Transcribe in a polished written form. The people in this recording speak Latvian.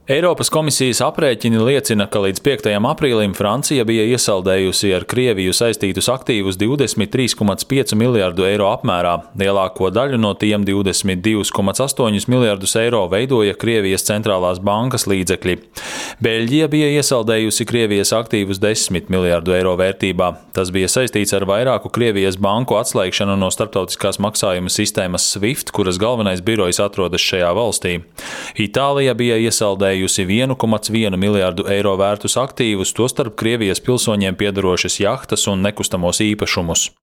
Eiropas komisijas aprēķini liecina, ka līdz 5. aprīlim Francija bija iesaldējusi ar Krieviju saistītus aktīvus 23,5 miljārdu eiro apmērā. Lielāko daļu no tiem 22,8 miljārdus eiro veidoja Krievijas centrālās bankas līdzekļi. Beļģija bija iesaldējusi Krievijas aktīvus 10 miljārdu eiro vērtībā. Tas bija saistīts ar vairāku Krievijas banku atslēgšanu no starptautiskās maksājuma sistēmas SWIFT, kuras galvenais birojs atrodas šajā valstī. Itālija bija iesaldējusi 1,1 miljārdu eiro vērtus aktīvus, tostarp Krievijas pilsoņiem piederošas jahtas un nekustamos īpašumus.